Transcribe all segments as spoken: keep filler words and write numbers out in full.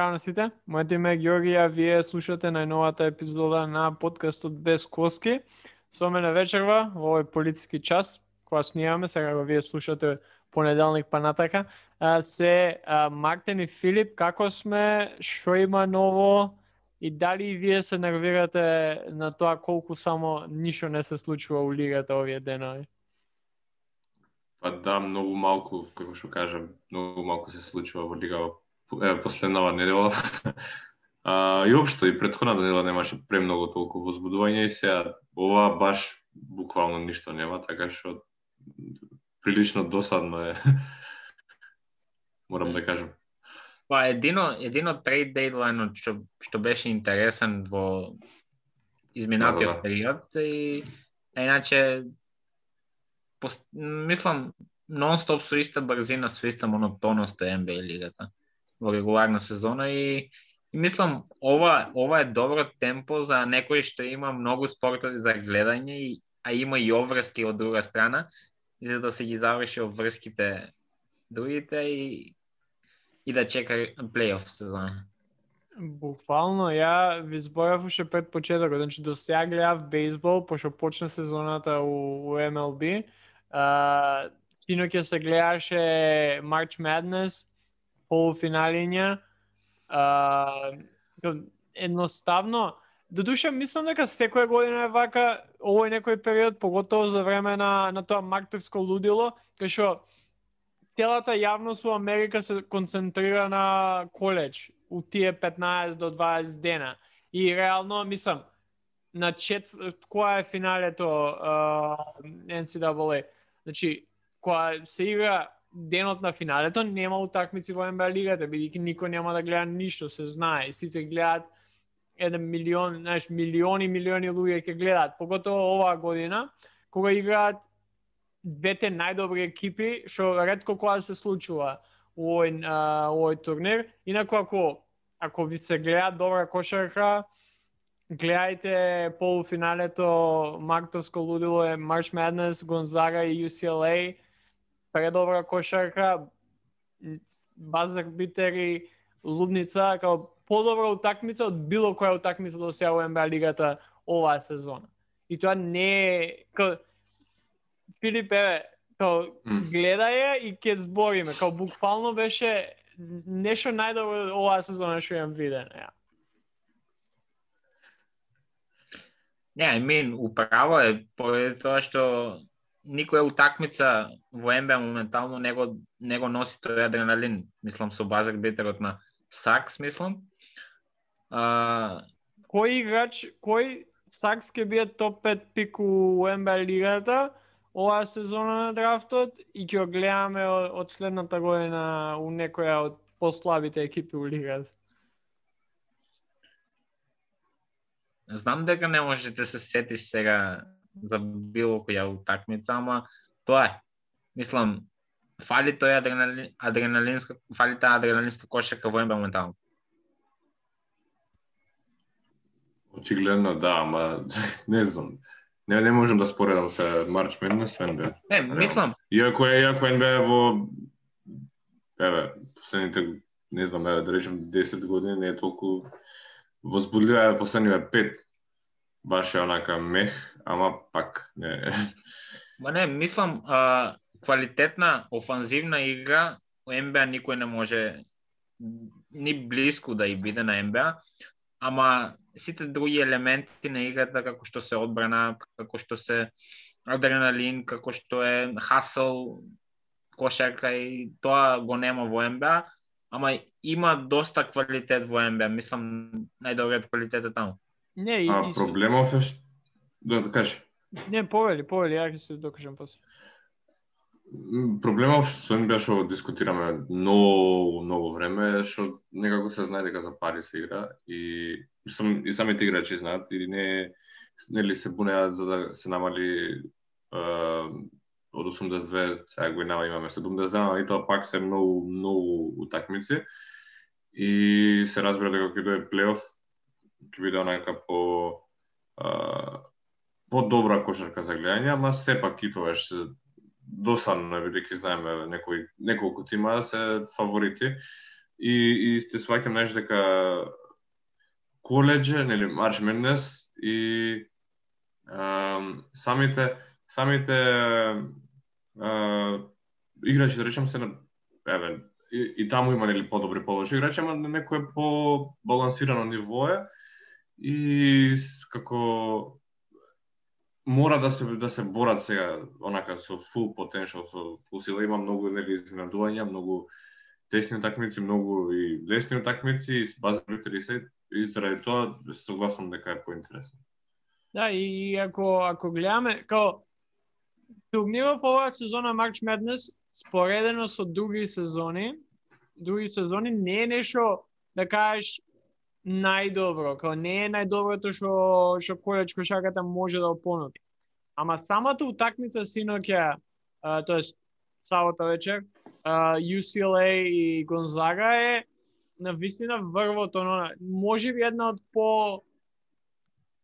Здраво на сите, моето име е Георги, а вие слушате најновата епизода на подкастот Без коски. Со мене вечерва во овој политички час, кога снимаме, сега го вие слушате понеделник па натака, а, се а, Мартин и Филип, како сме, што има ново и дали и вие се нервирате на тоа колку само ништо не се случува у лигата овие денови? Па да, многу малку, како што кажам, многу малку се случува во лига е, последнава недела. а, и општо и претходната недела немаше премногу толку возбудување и сега ова баш буквално ништо нема, така што прилично досадно е. Морам да кажам. Па едино едино трейд дејдлајнот што што беше интересен во изминатиот Да, да, да. период и а иначе пост... мислам нон-стоп со иста брзина, со иста монотонност е Н Б А лигата во регуларна сезона и, и мислам ова ова е добро темпо за некој што има многу спортови за гледање и а има и обврски од друга страна за да се ги заврши обврските другите и и да чека плейоф сезона. Буквално, ја ви зборав уште пред почетокот, значи до сега гледав бейсбол, пошто почна сезоната у, у М Л Б. А, синоќа се гледаше March Madness, полуфиналиња. А, едноставно, додуше мислам дека секоја година е вака, овој некој период, поготово за време на, на тоа мартирско лудило, кај што целата јавност у Америка се концентрира на коледж у тие петнаесет до дваесет дена. И реално, мислам, на четврт, која е финалето uh, Н С А А? Значи, кога се игра денот на финалето, нема утакмици во Н Б А лигата, бидејќи никој нема да гледа ништо, се знае. Сите гледаат еден милион, знаеш, милиони, милиони луѓе ќе гледаат, поготово оваа година, кога играат двете најдобри екипи, што ретко кога се случува у овој, а, овој турнир. Инаку ако ако ви се гледа добра кошарка, гледајте полуфиналето мартовско лудило е March Madness, Гонзага и Ю Си Ел Ей. Предобра кошарка, базар битери, лудница, као подобра утакмица од било која утакмица до сега во Н Б А лигата оваа сезона. И тоа не е као Филип, еве, као гледај ја и ќе збориме, као буквално беше нешто најдобро оваа сезона што имам видено, ја. Не, I mean, управо е поради тоа што никоја утакмица во Н Б А моментално не го, не го носи тој адреналин, мислам со базар битерот на Сакс, мислам. А... Кој играч, кој Сакс ќе биде топ пет пик у Н Б А лигата оваа сезона на драфтот и ќе го гледаме од, од следната година у некоја од послабите екипи у лигата? Знам дека не можеш да се сетиш сега за било која утакмица, ама тоа е. Мислам, фали тој адреналин, адреналинска, фали таа адреналинска кошарка во Н Б А моментално. Очигледно да, ама не знам. Не, не можам да споредам се March Madness Н Б А. Не, мислам. Иако е, иако Н Б А во еве, последните, не знам, еве, да речем десет години не е толку возбудлива, е последниве пет. Баш е онака мех, ама пак не. Ма не, мислам, а, квалитетна офанзивна игра Н Б А никој не може ни блиску да и биде на Н Б А, ама сите други елементи на играта, како што се одбрана, како што се адреналин, како што е хасл, кошарка и тоа го нема во Н Б А, ама има доста квалитет во Н Б А, мислам најдобриот квалитет е таму. Не, и, А и... проблемов е ш... да, да кажи. Не, повели, повели, ја ќе се докажам после. Проблемов со Н Б А што дискутираме многу, многу време е што некако се знае дека за пари се игра и сам, и самите играчи знаат и не нели се бунеат за да се намали uh, од осумдесет и две, сега го имаме седумдесет и две, и тоа пак се многу, многу утакмици и се разбира дека ќе дое плейоф ќе биде онака по uh, по-добра кошарка за гледање, ама сепак и тоа се досадно, бидејќи знаеме некои неколку тима се фаворити и и те сваќам нешто дека колеџе, нели Марч Маднес и ам, самите самите а, играчи, да речем се на еве и, и таму има нели подобри полоши играчи, ама на некое по балансирано ниво е и како мора да се да се борат сега онака со full potential, со full сила. Има многу нели изненадувања, многу тесни утакмици, многу и лесни утакмици и базарите се и заради тоа согласам дека е поинтересно. Да, и ако ако гледаме као турнирот во оваа сезона March Madness споредено со други сезони, други сезони не е нешто да кажеш најдобро, као не е најдоброто што што колеџ кошарката може да понуди. Ама самата утакмица синоќа, тоест сабота вечер, ю си ел ей и Гонзага е на вистина врвот, оно можеби една од по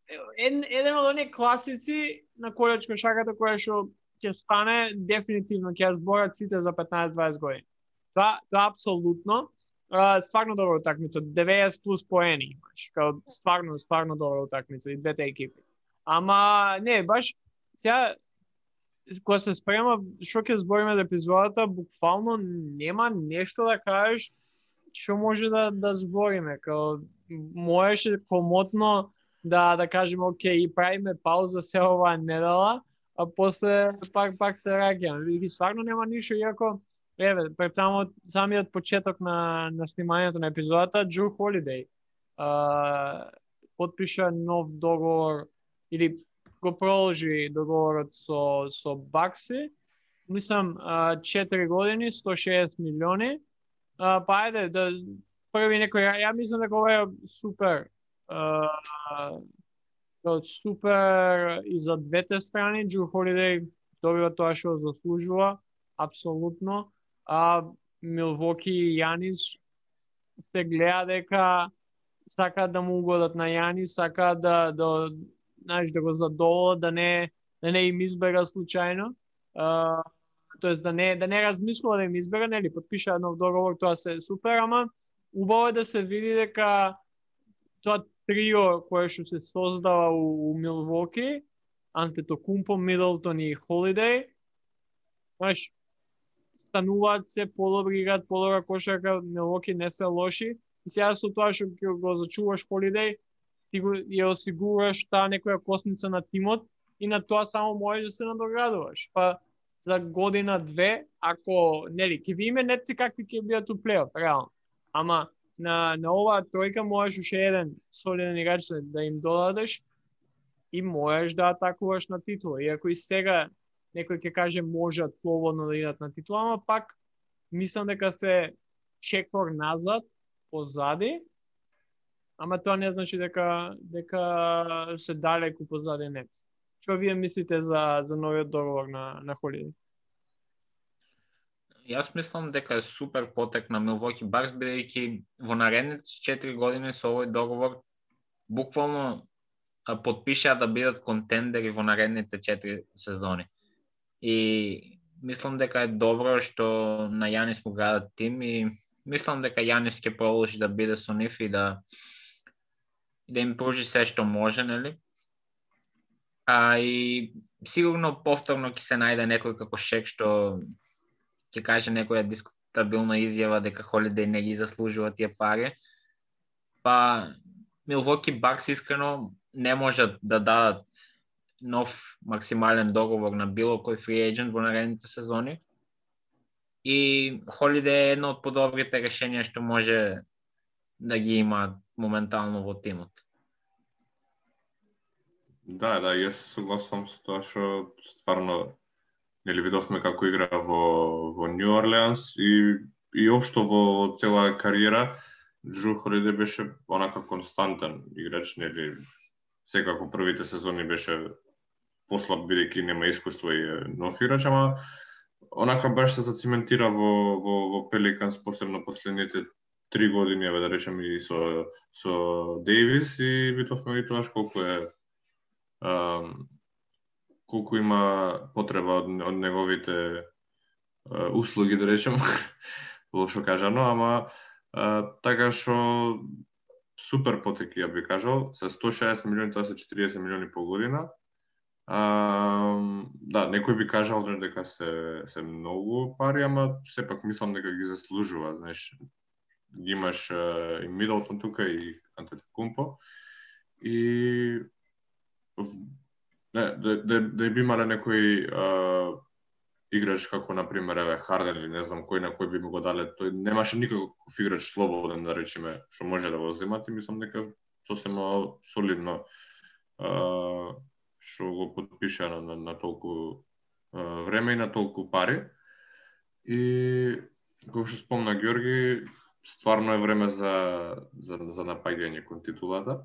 ед, еден од оние класици на колеџ кошарката која што ќе стане дефинитивно, ќе ја зборат сите за петнаесет дваесет години. Тоа тоа апсолутно. Uh, стварно добра утакмица, деветдесет плюс поени имаш, као стварно, стварно добра утакмица и двете екипи. Ама, не, баш, сега, кога се спрема, што ќе збориме за епизодата, буквално нема нешто да кажеш што може да, да збориме, као, можеше комотно да, да кажеме, окей, правиме пауза се оваа недела, а после пак, пак се раѓаме. И стварно нема ништо, иако, еве, пред само, самиот почеток на, на снимањето на епизодата, Джру Холидеј подпиша нов договор, или го продолжи договорот со, со Бакси, мислам, четири години, сто и шеесет милиони, а, па ајде, да, први некој, ја мислам дека ова е супер, а, супер и за двете страни, Джру Холидеј добива тоа што заслужува, апсолутно. А Милвоки и Јанис се гледа дека сакаат да му угодат на Јанис, сакаат да да знаеш да го задоволат, да не да не им избега случајно. А, тоест да не да не размислува да им избега, нели, потпиша нов договор, тоа се супер, ама убаво е да се види дека тоа трио кое што се создава у, у Милвоки, Антетокумпо, Мидлтон и Холидеј, знаеш, стануваат се подобри, играат подобра кошарка, Милвоки не се лоши. И сега со тоа што го зачуваш Холидеј, ти го ја осигураш таа некоја косница на тимот и на тоа само можеш да се надоградуваш. Па за година две, ако нели ќе видиме нетци какви ќе бидат у плейоф, реално. Ама на на оваа тројка можеш уште еден солиден играч да им додадеш и можеш да атакуваш на титула. Иако и сега некој ќе каже можат слободно да идат на титула, ама пак мислам дека се чекор назад, позади, ама тоа не значи дека дека се далеку позади нец. Што вие мислите за за новиот договор на на Холидеј? Јас мислам дека е супер потек на Милвоки Бакс, бидејќи во наредните четири години со овој договор буквално потпишаа да бидат контендери во наредните четири сезони. И мислам дека е добро што на Јанис му градат тим и мислам дека Јанис ќе продолжи да биде со нив и да да им пружи се што може, нели? А и сигурно повторно ќе се најде некој како Шек што ќе каже некоја дискутабилна изјава дека Холидеј не ги заслужува тие пари. Па Милвоки Бакс искрено не можат да дадат нов максимален договор на било кој фри ејджент во наредните сезони. И Холидеј е едно од подобрите решенија што може да ги има моментално во тимот. Да, да, јас се согласувам со тоа што стварно нели видовме како игра во во Нью Орлеанс и и општо во цела кариера Джру Холидеј беше онака константен играч, нели секако првите сезони беше послаб бидејќи нема искуство и нов играч, ама онака баш се зациментира во во во Пеликанс, посебно последните три години, еве да речем и со со Дејвис, и видовме и тоа колку е ам, колку има потреба од, од неговите а, услуги, да речем, лошо кажано, ама А, така што супер потеки, ја би кажал, се сто и шаесет милиони, тоа се четириесет милиони по година. А, да, некој би кажал дека се се многу пари, ама сепак мислам дека ги заслужува, знаеш. Ги имаш и Мидлтон тука и Антетокумпо и не, да, да, да би имале некој а, играч како на пример еве Харден или не знам кој на кој би му го дале, тој немаше никаков играч слободен да речеме што може да го земат и мислам дека сосема солидно а, што го подпиша на, на, на толку а, време и на толку пари. И како што спомна Ѓорги, стварно е време за за за напаѓање кон титулата.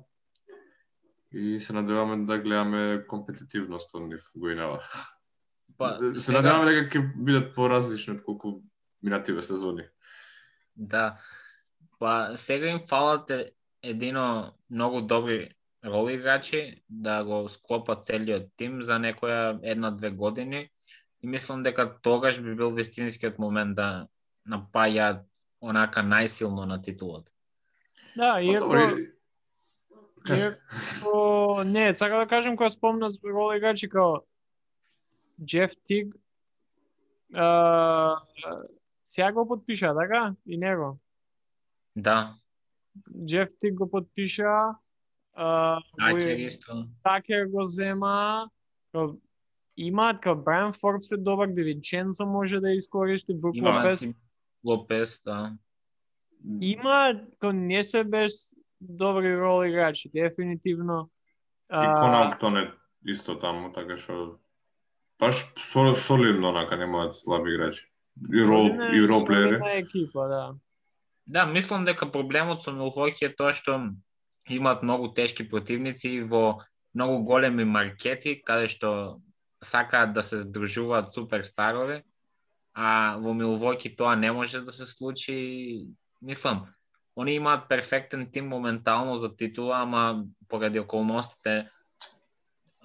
И се надеваме да гледаме компетитивност од нив гоинава. Па, се сега... надеваме дека ќе бидат поразлични од колку минативе сезони. Да. Па сега им фалат едино многу добри роли играчи да го склопат целиот тим за некоја една-две години и мислам дека тогаш би бил вистинскиот момент да напаѓаат онака најсилно на титулата. Да, иако... Па, Иако... Не, сакам да кажем кога спомна роли играчи као Джеф Тиг, а... сега го подпиша, така? И него? Да. Джеф Тиг го подпиша, а... Такер исто. Такер го зема, као... Имаат као Брайан Форбс е добар, Девинченцо може да искористи, Брук Лопес. Лопес, да. Има, као не се без добри роли играчи, дефинитивно. И Конаутон е исто таму, така што баш солидно онака немаат слаби играчи. И рол и рол плеери. Екипа, да. Да, мислам дека проблемот со Милвоки е тоа што имаат многу тешки противници во многу големи маркети, каде што сакаат да се здружуваат суперстарови, а во Милвоки тоа не може да се случи. Мислам, они имаат перфектен тим моментално за титула, ама поради околностите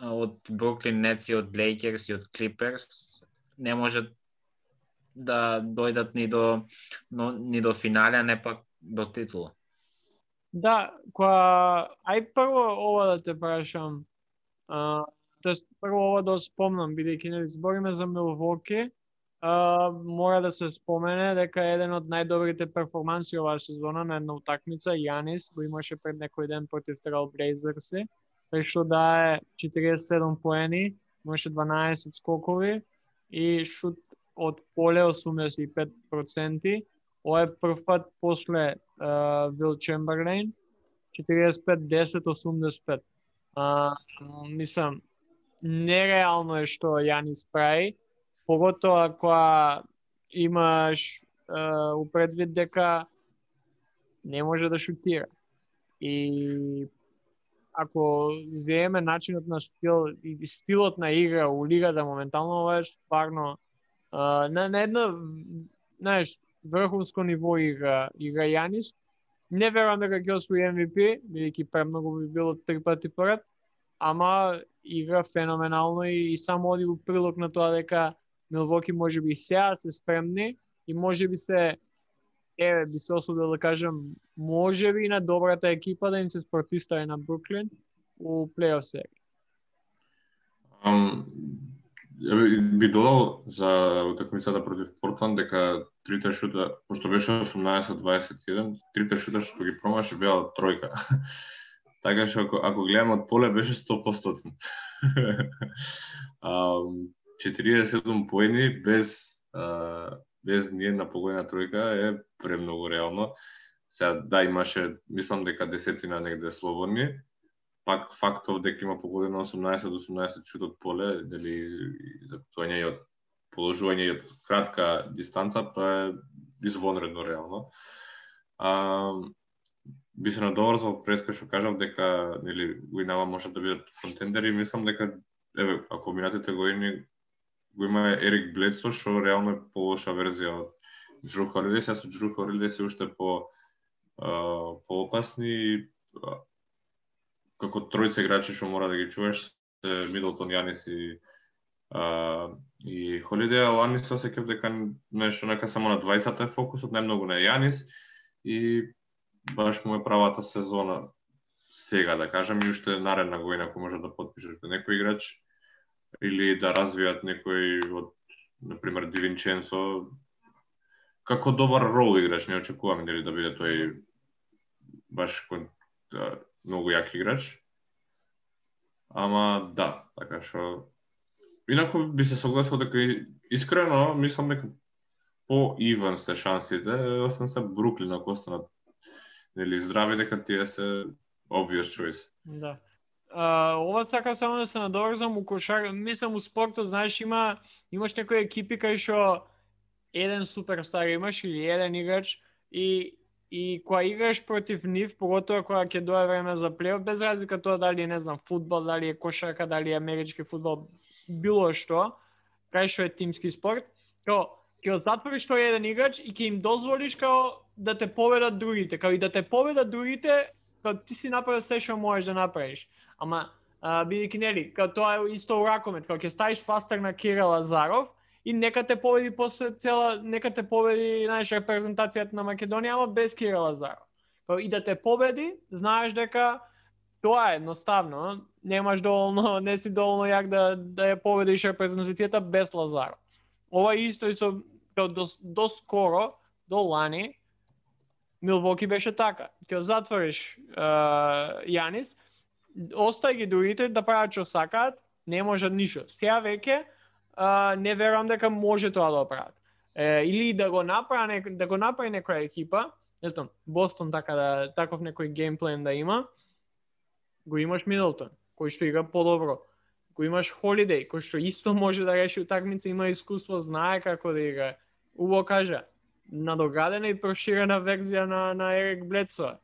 од Бруклин Нетс и од Лейкерс и од Клиперс не можат да дојдат ни до но, ни до финале, не пак до титула. Да, која ај прво ова да те прашам. А, тоест прво ова да спомнам, бидејќи не збориме за Милвоки, а, мора да се спомене дека еден од најдобрите перформанси оваа сезона на една утакмица Јанис го имаше пред некој ден против Трал Блейзерси, пред што дае четириесет и седум поени, имаше дванаесет скокови и шут од поле осумдесет и пет проценти. Ова е прв пат после Вил Чемберлейн, четириесет и пет десет осумдесет и пет. А, мислам, нереално е што Јанис прави, поготоа кога имаш а, упредвид дека не може да шутира. И ако земеме начинот на стил и стилот на игра у лигата моментално, ова е стварно а, на, на едно, знаеш, врховско ниво игра, игра Јанис. Не верувам дека ќе освои Ем Ви Пи, бидејќи премногу би било три пати поред, ама игра феноменално и, и само оди у прилог на тоа дека Милвоки може би сега се спремни и може би се, еве, би се осудил да кажам, може би на добрата екипа да им се спротистави на Бруклин у плей-оф серија. Um, би додал за утакмицата против Портланд дека трите шута, пошто беше осумнаесет дваесет и еден, трите шута што ги промаше беа тројка. Така што ако, ако гледам од поле беше сто проценти. um, четириесет и седум поени без а, без ниедна погодена тројка е премногу реално. Сега да имаше, мислам дека десетина негде слободни. Пак фактов дека има погодено осумнаесет осумнаесет шут од поле, дали закутување и од положување и од кратка дистанца, тоа е извонредно реално. А, би се надоврзал преска што кажав дека нели Уинава може да бидат контендери, мислам дека еве ако минатите години го има Ерик Бледсо што реално е полоша верзија од Джру Холидей, сега со Джру Холидей се уште по а, поопасни како тројца играчи што мора да ги чуваш, Мидлтон, Јанис и а, и Холидей, а Јанис се сеќав дека нешто нека само на двајцата е фокусот, најмногу на Јанис и баш му е правата сезона сега, да кажем, и уште наредна година кој може да потпишеш некој играч или да развијат некој од, например, Ди Винченцо, како добар рол играч, не очекувам дали да биде тој баш да, многу јак играч. Ама да, така што инаку би се согласил дека искрено мислам дека по ивен се шансите, освен се Бруклин ако останат нели здрави, дека тие се obvious choice. Да. Uh, ова сакам само да се надоврзам у кошар, мислам у спортот, знаеш, има имаш некои екипи кај што еден суперстар имаш или еден играч и и кога играш против нив, поготоа кога ќе дое време за плейоф, без разлика тоа дали е, не знам, фудбал, дали е кошарка, дали е амерички фудбал, било што, кај што е тимски спорт, као ќе затвориш тој еден играч и ќе им дозволиш као да те поведат другите, као и да те поведат другите, као ти си направил се што можеш да направиш. Ама бидејќи нели, као тоа е исто у ракомет, као ќе ставиш фастер на Кира Лазаров и нека те победи после цела, нека те победи, знаеш, репрезентацијата на Македонија, ама без Кира Лазаров. Као и да те победи, знаеш дека тоа е едноставно, немаш доволно, не си доволно јак да да ја победиш репрезентацијата без Лазаров. Ова исто и со као до, до скоро, до лани, Милвоки беше така. Ќе затвориш uh, Јанис, остај ги другите да прават што сакаат, не можат ништо. Сега веќе uh, не верувам дека може тоа да прават. Uh, или да го направи да го направи некоја екипа, не знам, Бостон така да таков некој геймплан да има. Го имаш Мидлтон, кој што игра подобро. Го имаш Холидеј, кој што исто може да реши утакмица, има искуство, знае како да игра. Убаво кажа, надоградена и проширена верзија на на Ерик Бледсо.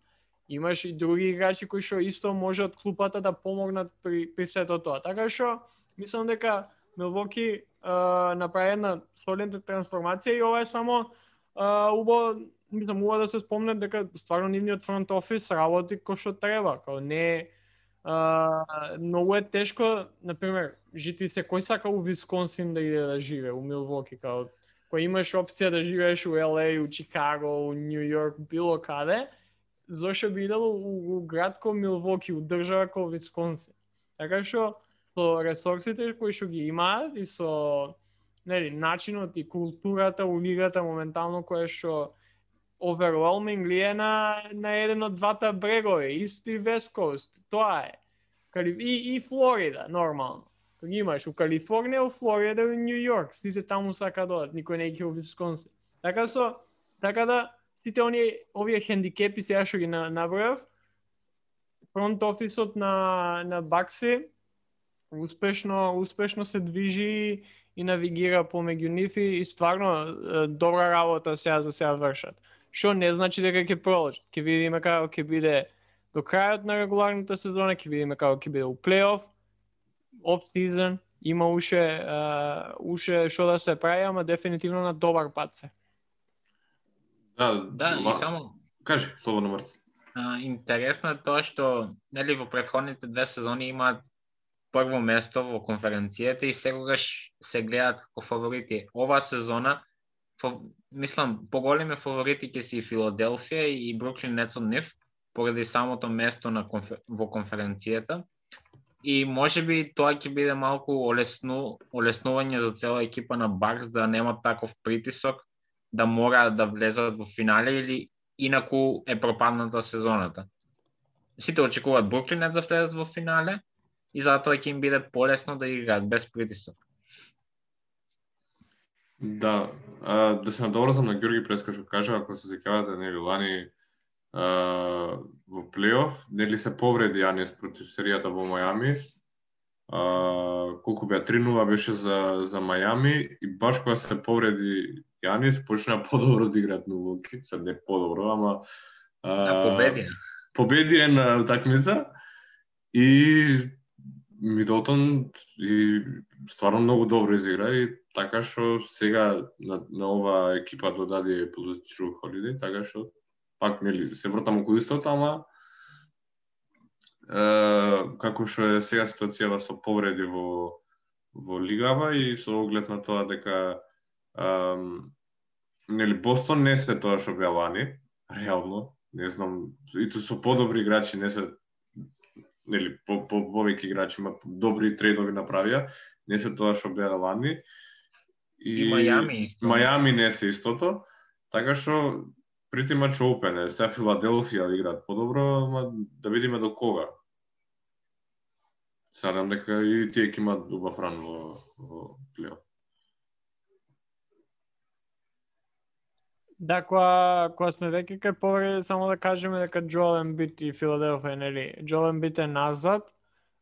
Имаш и други играчи кои што исто може од клупата да помогнат при при сето тоа. Така што мислам дека Милвоки направи една солидна трансформација и ова е само убаво, мислам убаво да се спомне дека стварно нивниот фронт офис работи кој што треба, као не Uh, многу е тешко, например, жители се кој сака у Висконсин да иде да живее, у Милвоки, као кој имаш опција да живееш у Ел Еј, у Чикаго, у Нью Йорк, било каде, зошто би идело у, у град ко Милвоки, у држава ко Висконсин. Така што со ресурсите кои што ги имаат и со нели начинот и културата у лигата моментално која што overwhelmingly е на, на еден од двата брегови, East и West Coast, тоа е. И, и Флорида, нормално. Кога имаш у Калифорнија, у Флорида и у Нью Йорк, сите таму сака додат, никој не ќе у Висконсин. Така со, така да, сите оние, овие хендикепи сега што ги набројав, фронт офисот на, на Бакси успешно, успешно се движи и навигира помеѓу нив и стварно добра работа сега за сега вршат. Што не значи дека ќе продолжат. Ќе видиме како ќе биде до крајот на регуларната сезона, ќе видиме како ќе биде у плейоф, оф сизон, има уште uh, уште што да се прави, ама дефинитивно на добар пат се. Да, да, ма... и само кажи, слободно Марци. А, интересно е тоа што нели во претходните две сезони имаат прво место во конференцијата и секогаш се гледаат како фаворити. Оваа сезона Фо, мислам, поголеми фаворити ќе си Филаделфија и Бруклин Нетс од нив, поради самото место на конфер... во конференцијата. И можеби тоа ќе биде малку олесну... олеснување за цела екипа на Бакс да немат таков притисок, да мора да влезат во финале или инаку е пропадната сезоната. Сите очекуваат Бруклин Нетс да влезат во финале и затоа ќе им биде полесно да играат без притисок. Да, а, да се надоврзам на Ѓорги Преска што кажа, ако се сеќавате нели лани а, во плейоф, нели се повреди Јанис против серијата во Мајами. А, колку беа три нула беше за за Мајами и баш кога се повреди Јанис почна подобро да играат Милвоки, се не подобро, ама а, победи. Победи е на утакмица и Мидлтон и стварно многу добро изигра и така што сега на, на ова екипа додаде позиција Холидеј, така што пак нели се вртам околу истото, ама е, како што е сега ситуацијава со повреди во во лигава и со оглед на тоа дека е, нели Бостон не се тоа што беа лани, реално, не знам, и тоа со подобри играчи, не се нели по по повеќе играчи има добри трейдови направија, не се тоа што беа лани. И, и Мајами исто. Мајами не се истото, така што pretty much open е. Сега Филаделфија играат подобро, ама да видиме до кога. Садам дека и тие ќе имаат убав ран во, во плейоф. Да, кога, кога сме веќе кај повреди, само да кажеме дека Джоел Ембит и Филаделфија, нели, Джоел Ембит е назад,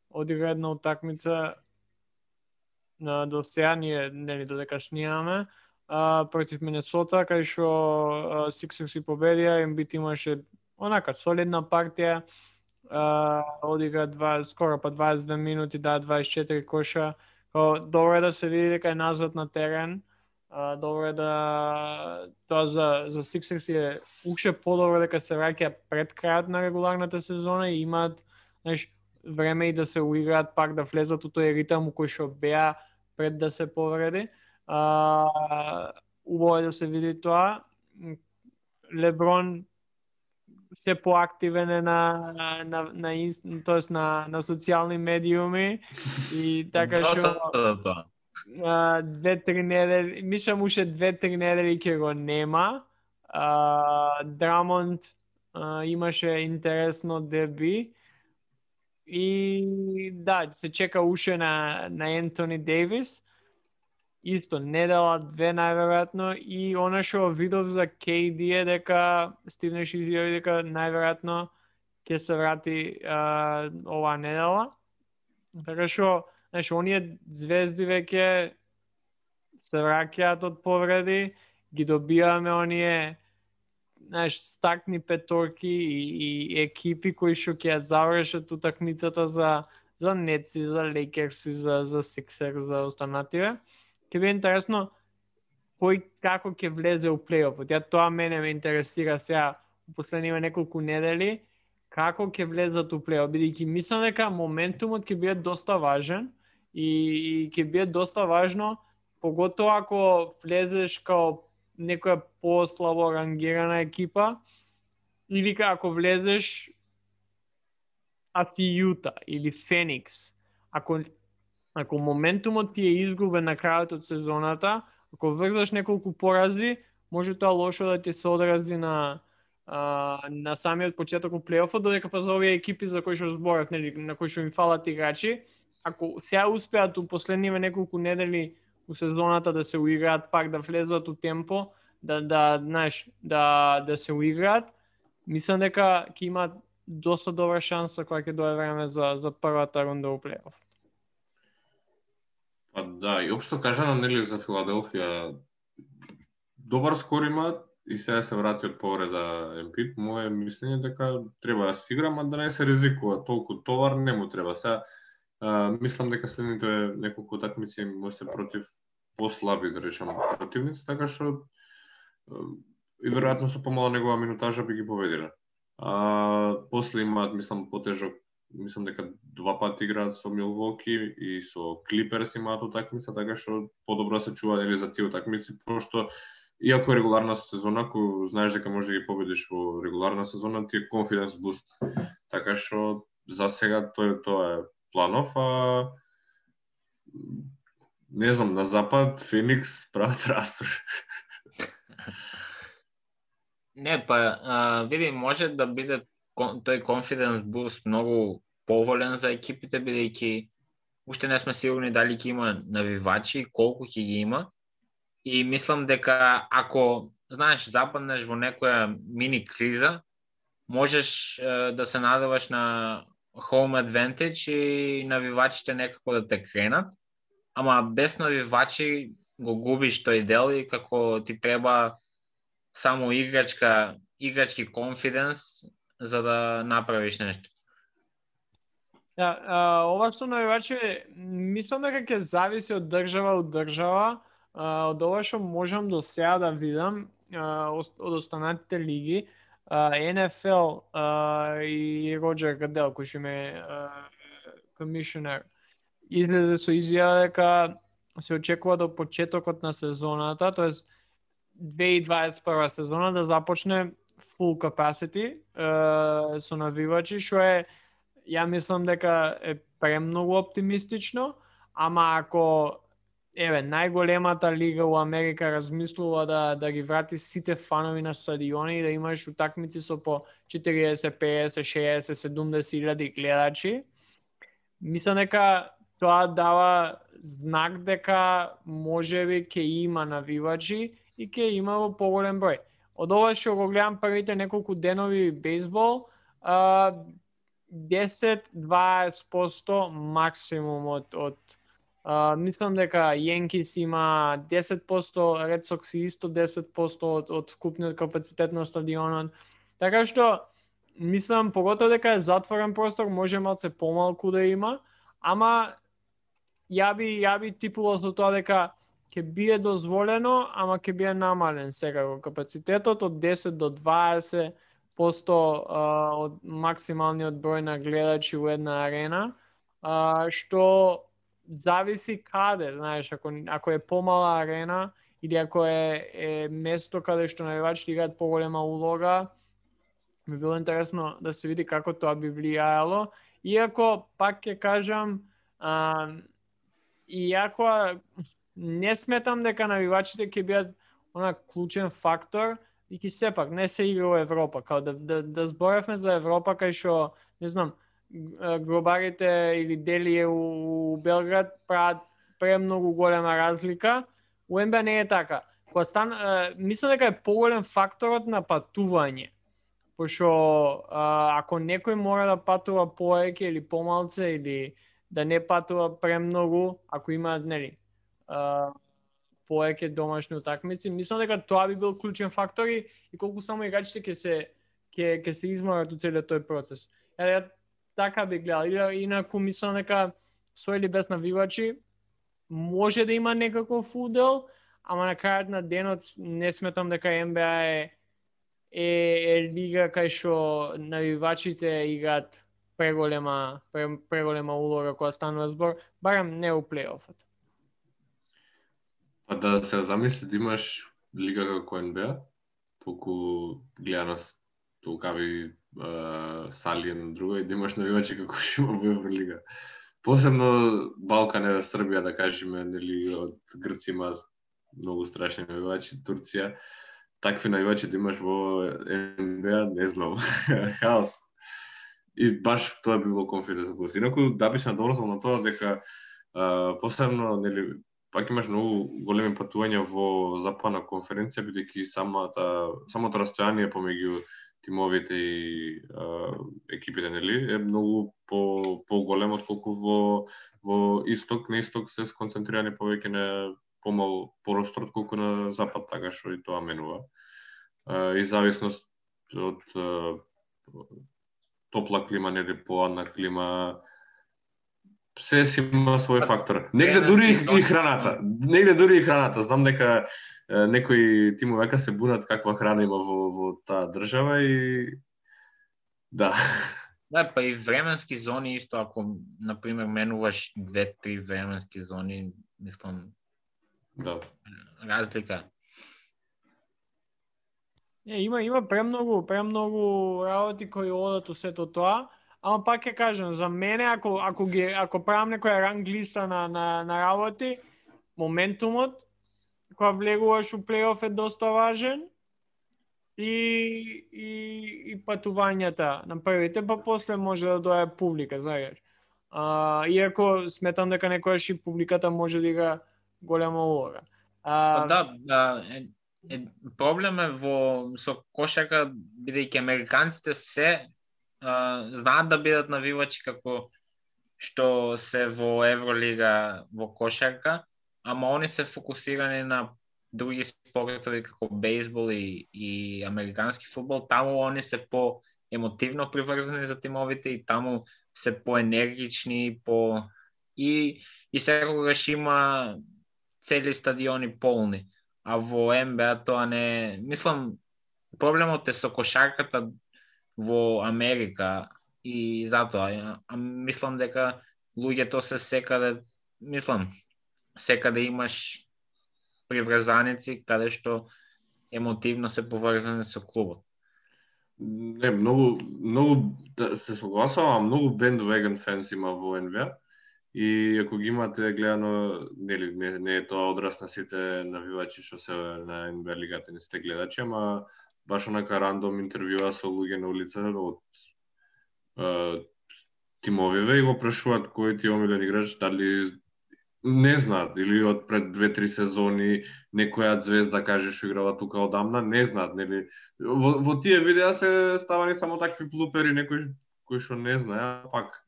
одигра една утакмица на до сега ние, нели, додека снимаме, а, против Минесота, кај што Сиксерс си победија, Ембит имаше онака солидна партија, а, одигра два, скоро па дваесет и две минути, да, дваесет и четири коша. Као, добро е да се види дека е назад на терен. Uh, добро е да тоа за за Sixers е уште подобро дека се враќа пред крајот на регуларната сезона и имаат, знаеш, време и да се уиграат пак да влезат у тој ритам кој што беа пред да се повреди. Uh, убаво е да се види тоа. Леброн се поактивен е на на на на, тоест на, на социјални медиуми и така што Uh, две-три недели, мислам уште две-три недели ќе го нема. Uh, Драмонд uh, имаше интересно деби и да, се чека уште на, на Ентони Дейвис. Исто, недела две најверојатно и она што видов за Кей Ди е дека Стивнеш изјави дека најверојатно ќе се врати uh, оваа недела. Така што знаеш, оние звезди веќе се враќаат од повреди, ги добиваме оние, знаеш, стакни петорки и, и екипи кои што ќе ја завршат утакмицата за за Нетси, за Лейкерси, за за Сиксерс, за останативе. Ќе биде интересно кој како ќе влезе у плейофот. Ја тоа мене ме интересира сега у последниве неколку недели како ќе влезат у плейоф, бидејќи мислам дека моментумот ќе биде доста важен. И, и ќе биде доста важно, поготово ако влезеш као некоја послабо рангирана екипа, или ако влезеш аси Јута или Феникс. Ако, ако моментумот ти е изгубен на крајот од сезоната, ако врзаш неколку порази, може тоа лошо да ти се одрази на а, на самиот почеток од плейофот, додека па за овие екипи за кои што зборав, нели, на кои што им фалат играчи, ако сега успеат у последниве неколку недели у сезоната да се уиграат пак, да влезат у темпо, да да знаеш, да да се уиграат, мислам дека ќе имаат доста добра шанса кога ќе дое време за за првата рунда у плейоф. Па да, и општо кажано, нели, за Филаделфија добар скор имаат и сега се врати од повреда Ембит. Моje мислење дека треба да се игра, ама да не се ризикува толку товар, не му треба. Сега Uh, мислам дека следните неколку такмици може се против послаби, да речам, противници, така што uh, и веројатно со помала негова минутажа би ги победиле. Uh, после имаат, мислам, потежок, мислам дека два пати играат со Милвоки и со Клиперс имаат утакмица, така што подобро се чува или за тие утакмици, пошто иако е регуларна сезона, ако знаеш дека можеш да ги победиш во регуларна сезона, ти е confidence boost. Така што за сега тоа тоа е планов, а не знам, на запад Феникс прават растур. Не, па, а, види, може да биде тој confidence boost многу поволен за екипите, бидејќи уште не сме сигурни дали ќе има навивачи, колку ќе ги има. И мислам дека ако, знаеш, западнеш во некоја мини криза, можеш е, да се надеваш на home advantage и навивачите некако да те кренат, ама без навивачи го губиш тој дел и како ти треба само играчка, играчки confidence за да направиш нешто. Да, а, ова што навивачи, мислам дека ќе зависи од држава од држава, а, од ова што можам до сега да видам а, од останатите лиги. Uh, Ен Еф Ел uh, и Роджер Гадел, кој што ме комишионер, излезе со изјава дека се очекува до почетокот на сезоната, тоест две илјади дваесет и прва сезона да започне full capacity uh, со навивачи, што е, ја мислам дека е премногу оптимистично, ама ако еве најголемата лига у Америка размислува да да ги врати сите фанови на стадиони и да имаш утакмици со по четириесет, песет, шеесет, седумдесет илјади гледачи, мислам дека тоа дава знак дека можеби ќе има навивачи и ќе има во поголем број. Од ова што го гледам првите неколку денови бейсбол, десет до дваесет проценти максимум од од Uh, мислам дека Јенкис има десет проценти, Ред Сокс исто десет проценти од, од вкупниот капацитет на стадионот. Така што, мислам, поготово дека е затворен простор, може малце помалку да има, ама ја би, ја би типувал со тоа дека ќе биде дозволено, ама ќе биде намален секако капацитетот од десет до дваесет проценти uh, од максималниот број на гледачи во една арена, uh, што зависи каде, знаеш, ако, ако е помала арена или ако е, е место каде што навивачите играат поголема улога, би било интересно да се види како тоа би влијаело. Иако, пак ќе кажам, а, иако не сметам дека навивачите ќе бидат она клучен фактор, и ки сепак не се игра во Европа, као да, да, да зборевме за Европа кај што, не знам, гробарите или Делие у Белград прават премногу голема разлика. У Ен Би А не е така. Кога стан, мислам дека е поголем факторот на патување. Пошто ако некој мора да патува повеќе или помалце или да не патува премногу, ако има, нели, повеќе домашни утакмици, мислам дека тоа би бил клучен фактор и, и колку само играчите ќе се ќе ќе се изморат у целиот тој процес. Ја така би гледал. Инаку мислам дека со или без навивачи може да има некаков удел, ама на крајот на денот не сметам дека Ен Би А е е, е лига кај што навивачите играат преголема преголема улога кога станува збор, барем не у плейофот. Па да се замисли да имаш лига како Ен Би А, толку гледаност, толкави Uh, сали на друго и да имаш навивачи како што има во Евролига. Посебно Балкан е Србија, да кажеме, нели, од Грци има многу страшни навивачи, Турција. Такви навивачи да имаш во Ен Би А, не знам. Хаос. И баш тоа би било конфиденс плюс. Инаку да би се надоврзал на тоа дека uh, посебно, нели, пак имаш многу големи патувања во западна конференција, бидејќи самата самото растојание помеѓу тимовите и а, екипите, нели, е многу по поголемо отколку во во исток, на исток се сконцентрирани повеќе на помал простор отколку на запад, така што и тоа менува. А, и зависност од а, топла клима, нели, поладна клима, се си има свој фактор. Негде дури и храната. Негде дури и храната. Знам дека е, некои тимови века се бунат каква храна има во, во таа држава и да. Да, па и временски зони исто, ако на пример менуваш две-три временски зони, мислам, да. Разлика. Е, има има премногу, премногу работи кои одат у сето тоа. Ама пак ќе кажам, за мене, ако, ако, ги, ако правам некоја ранг листа на, на, на работи, моментумот, кога влегуваш у плейоф е доста важен и, и, и патувањата на првите, па после може да дојде публика, знаеш. А, иако сметам дека некојаш и публиката може да игра голема улога. А, да, да е, е, проблем е во со кошарка, бидејќи американците се Uh, знаат да бидат навивачи како што се во Евролига во кошарка, ама они се фокусирани на други спортови како бейсбол и, и американски фудбал. Таму они се по емотивно приврзани за тимовите и таму се поенергични, по и и секогаш има цели стадиони полни. А во Ен Би А тоа не, мислам, проблемот е со кошарката во Америка и затоа а, мислам дека луѓето се секаде, мислам, секаде имаш приврзаници каде што емотивно се поврзани со клубот. Не, многу, многу, да, се согласувам, многу bandwagon фенс има во Н Б А. И ако ги имате гледано, нели, не, не е тоа одраз на сите навивачи што се на Н Б А лигата, не сте гледачи, ама баш онака рандом интервјуа со луѓе на улица од е, тимовиве и го прашуваат кој ти е омилен играч, дали не знаат, или од пред две-три сезони некоја звезда каже што играла тука одамна, не знаат, нели. Во, во тие видеа се ставани само такви блупери, некои кои што не знае, пак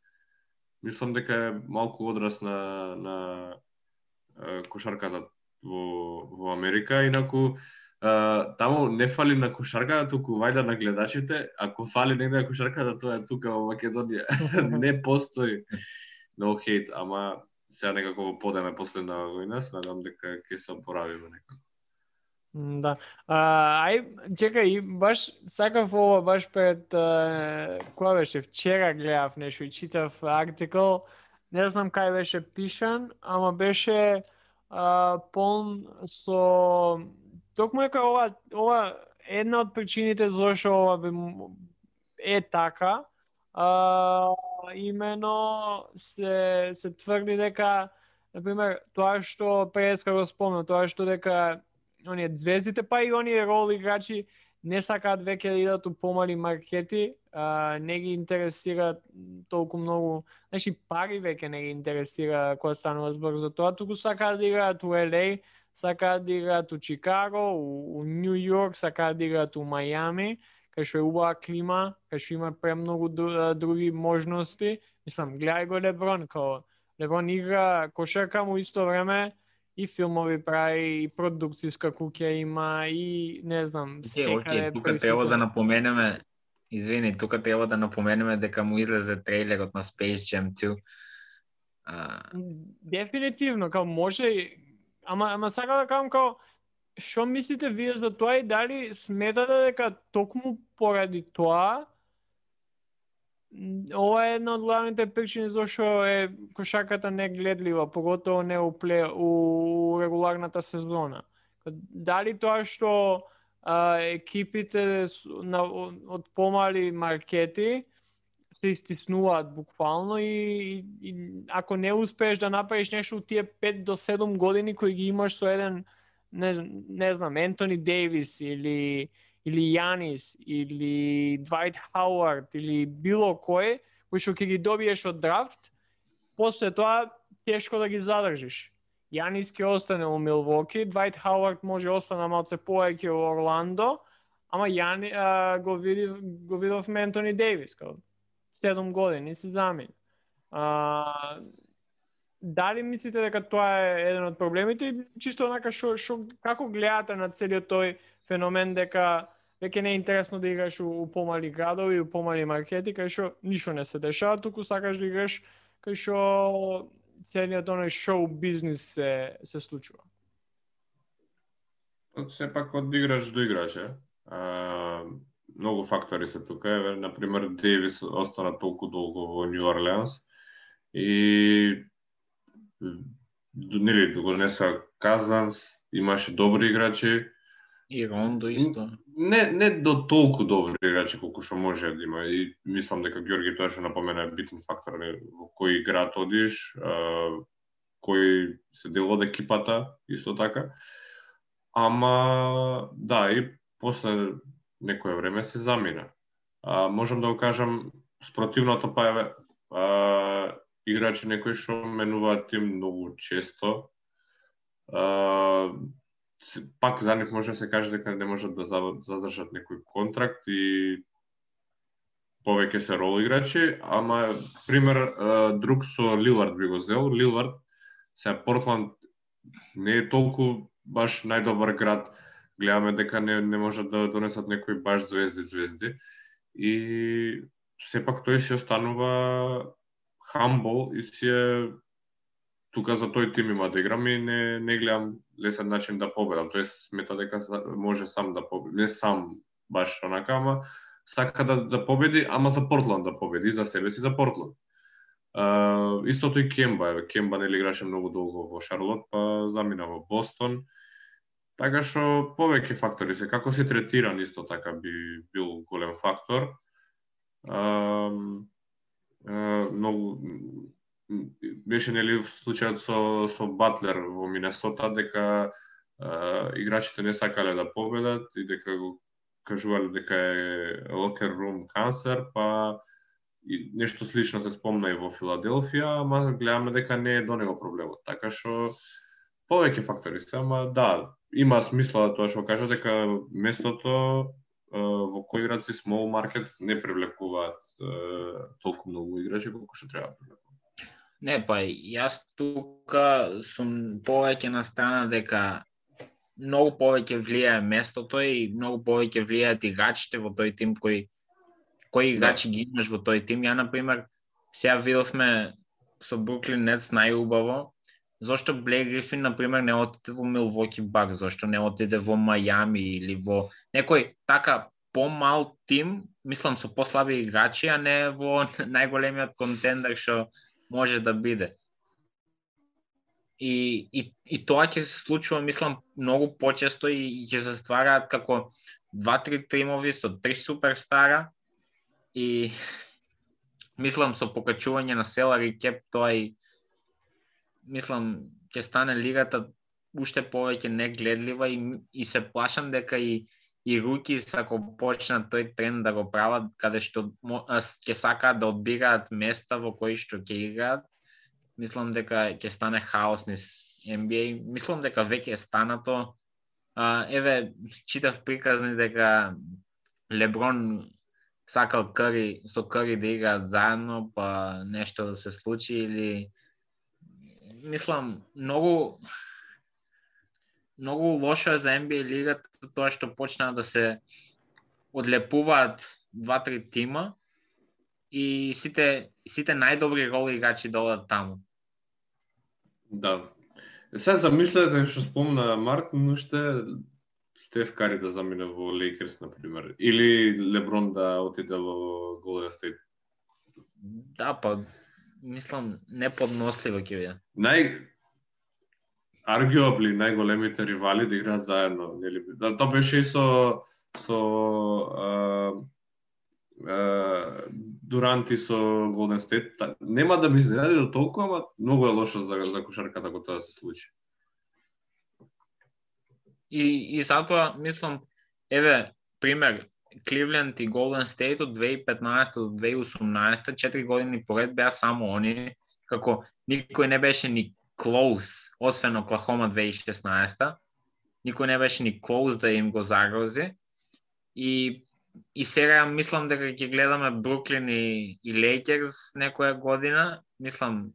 мислам дека е малку одраз на на е, кошарката во во Америка, инаку Uh, таму не фали на кошарката, туку вајда на гледачите. Ако фали негде на кошарката, тоа е тука во Македонија. Не постои no hate, ама сега некако во подеме последна војна, се надам дека ќе се опоравиме некако. Да. А, ај, чекај, баш сакав ова баш пред а, која беше вчера гледав нешто и читав артикл, не знам кај беше пишан, ама беше а, полн со токму дека ова ова една од причините зашто ова би е така, а, имено се се тврди дека на пример тоа што преска го спомна, тоа што дека оние звездите па и оние рол играчи не сакаат веќе да идат у помали маркети, а, не ги интересира толку многу, значи пари веќе не ги интересира кога станува збор за тоа, туку сакаат да играат у Ел Еј, сакаат да играат у Чикаго, у, у Нью Йорк, сакаат да играат у Мајами, кај што е убава клима, кај што има премногу други можности. Мислам, гледај го Леброн, као Леброн игра кошарка, му исто време и филмови прави, и продукцијска куќа има, и не знам, секаде. Океј, тука треба да напоменеме, извини, тука треба да напоменеме дека му излезе трейлерот на Space Jam two. А... Дефинитивно, као може, ама, ама сака да кажам као, што мислите вие за тоа и дали сметате дека токму поради тоа ова е една од главните причини зашто е кошарката негледлива, поготово не у, пле, у регуларната сезона. Дали тоа што а, екипите на, од помали маркети се истиснуваат буквално и, и, и ако не успееш да направиш нешто тие пет до седум години кои ги имаш со еден не, не знам, Ентони Дейвис или или Јанис, или Двајт Хауард, или било кој, кој што ќе ги добиеш од драфт, после тоа тешко да ги задржиш. Јанис ќе остане у Милвоки, Двајт Хауард може остане малце повеќе у Орландо, ама Јани а, го види го видовме Ентони Дейвис, као седум години се замени. А, дали мислите дека тоа е еден од проблемите и чисто онака шо, шо како гледате на целиот тој феномен дека веќе не е интересно да играш у, у помали градови, у помали маркети, кај што ништо не се дешава, туку сакаш да играш кај што целиот оној шоу бизнис се, се случува. Сепак од играч до играч, е. А, многу фактори се тука. Е, например, Дейвис остана толку долго во Нью Орлеанс и нели го донеса Казанс, имаше добри играчи. И Рондо исто. Не, не до толку добри играчи колку што може да има. И мислам дека Ѓорги тоа што напомена е битен фактор во кој град одиш, кој се дел од екипата, исто така. Ама, да, и после некое време се замина. А, можам да го кажам, спротивното па е а, играчи некои што менуваат тим многу често. А, пак за нив може да се каже дека не можат да задржат некој контракт и повеќе се рол играчи, ама пример друг со Лилард би го зел. Лилард се Портланд не е толку баш најдобар град, гледаме дека не, не можат да донесат некои баш звезди звезди и сепак тој си останува humble и си е тука за тој тим има да играм и не, не гледам лесен начин да победам. Тој смета дека може сам да победи. Не сам баш онака, ама сака да, да победи, ама за Портланд да победи, за себе си, за Портланд. Uh, истото и Кемба. Кемба нели играше многу долго во Шарлот, па замина во Бостон. Така што повеќе фактори се, како се третиран исто така би бил голем фактор. А, а, многу беше нели случајот со со Батлер во Минесота дека а, играчите не сакале да победат и дека го кажувале дека е locker room cancer, па и нешто слично се спомна и во Филаделфија, ама гледаме дека не е до него проблемот. Така што повеќе фактори се, ама да, има смисла тоа што кажа дека местото во кој играци small market не привлекуваат толку многу играчи колку што треба да привлекуваат. Не, па јас тука сум повеќе на страна дека многу повеќе влијае местото и многу повеќе влијаат играчите во тој тим кој кои играчи да ги имаш во тој тим. Ја на пример сега видовме со Бруклин Нетс најубаво зошто Блейк Грифин на пример не отиде во Милвоки Бакс, зошто не отиде во Мајами или во некој така помал тим, мислам со послаби играчи, а не во најголемиот контендер што може да биде. И, и, и тоа ќе се случува, мислам, многу почесто и ќе се ствараат како два-три тимови со три суперстара и мислам со покачување на salary cap тоа и мислам ќе стане лигата уште повеќе негледлива и, и се плашам дека и и рукис ако почнат тој тренд да го прават каде што ќе сакаат да одбираат места во кои што ќе играат, мислам дека ќе стане хаос низ Н Б А. Мислам дека веќе е станато. А, еве читав приказни дека Леброн сакал Кари со Кари да играат заедно, па нешто да се случи или мислам многу многу лошо е за Н Б А лигата тоа што почнаа да се одлепуваат два-три тима и сите сите најдобри рол играчи да одат таму. Да. Сега замислете што спомна Мартин, уште Стеф Кари да замине во Лейкерс на пример или Леброн да отиде во Голден Стейт. Да, па мислам неподносливо ќе биде. Нај arguably најголемите ривали да играат заедно, нели? Да, тоа беше и со со а, а, Дуранти со Голден Стейт. Нема да ми изненади до толку, ама многу е лошо за за кошарката кога тоа се случи. И и затоа мислам еве пример Кливленд и Голден Стейт од две илјади и петнаесета до две илјади и осумнаесета, четири години поред беа само они, како никој не беше ни close, освен Оклахома две илјади и шеснаесета, никој не беше ни close да им го загрози. И и сега мислам дека ќе гледаме Бруклин и, и Лейкерс некоја година. Мислам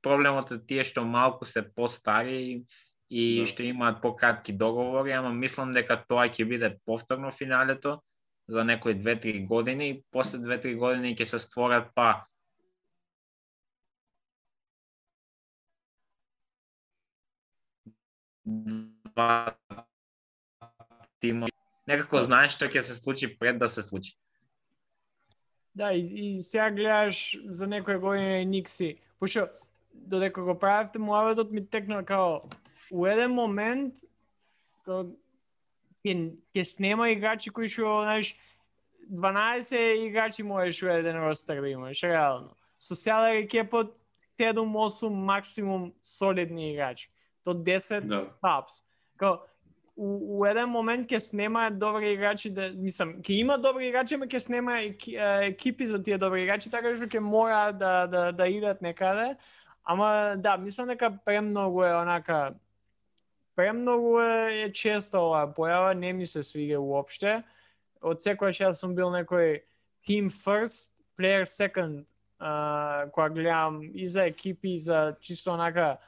проблемот е тие што малку се постари и да. Што имаат пократки договори, ама мислам дека тоа ќе биде повторно финалето за некои две-три години и после две-три години ќе се створат па два тима. Некако знаеш што ќе се случи пред да се случи. Да, и, и сега гледаш за некоја година и Никси. Пошто додека го правевте муаветот ми текна као у еден момент као ќе ќе снема играчи кои што знаеш дванаесет играчи можеш у еден ростер да имаш реално. Со salary cap седум-осум максимум солидни играчи. До десет да. Tops. Као у, у еден момент ќе снемаат добри играчи, да мислам, ќе има добри играчи, ама ќе снема екипи за тие добри играчи, така што ќе мора да да да идат некаде. Ама да, мислам дека премногу е онака премногу е, е често оваа појава, не ми се свига уопште. Од секогаш јас сум бил некој team first, player second, uh, кога гледам и за екипи, и за чисто онака